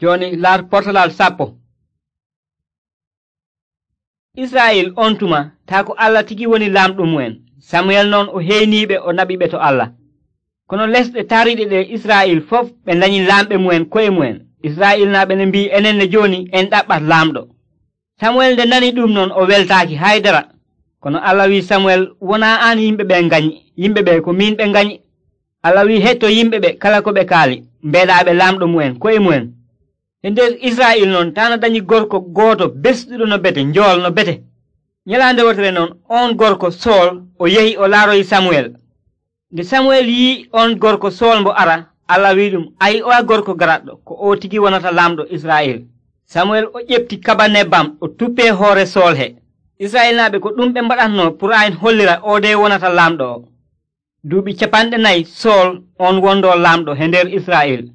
Jooni laar portalal 10. Israa'il on tuma taa ko Allah tigi woni laamɗo mu'en. Samuyel noon o heyniiɓe o naɓiɓe to Allah. Kono lesɗe taariiɗe ɗe Israa'il fof ɓe dañi laamɓe mu'en ko'e mu'en. Israa'il naaɓe ne mbi'i enen ne jooni en ɗaɓɓat laamɗo. Samuel nde nani ɗum noon o weltaaki haydara. Kono Allah wi Samuel, wonaa aan yimɓe ɓe ngañi, yimɓe ɓe ko min ɓe ngañi. Allah wi hetto yimɓe ɓe kala ko ɓe kaali, mbeeɗaaɓe laamɗo mu'en ko'e mu'en. E nder Israa'il noon taana dañi gorko gooto besɗuɗo no bete, njool no bete. Nyalaande wotere noon on gorko Sool o yehi o laaroyi Samuel. Nde Samuel yi'i on gorko Sool mbo ara, Allah wi ɗum, ayi o gorko garaɗɗo ko o tigi wonata laamɗo Israa'il. Samuel o ƴefti kaba nebbam o tuppee hoore Sool he. Israa'il naaɓe ko ɗum ɓe mbaɗatno pour ayin hollira o de wonata laamɗo o. Duuɓi 40 Sool on wondo laamɗo he nder Israa'il.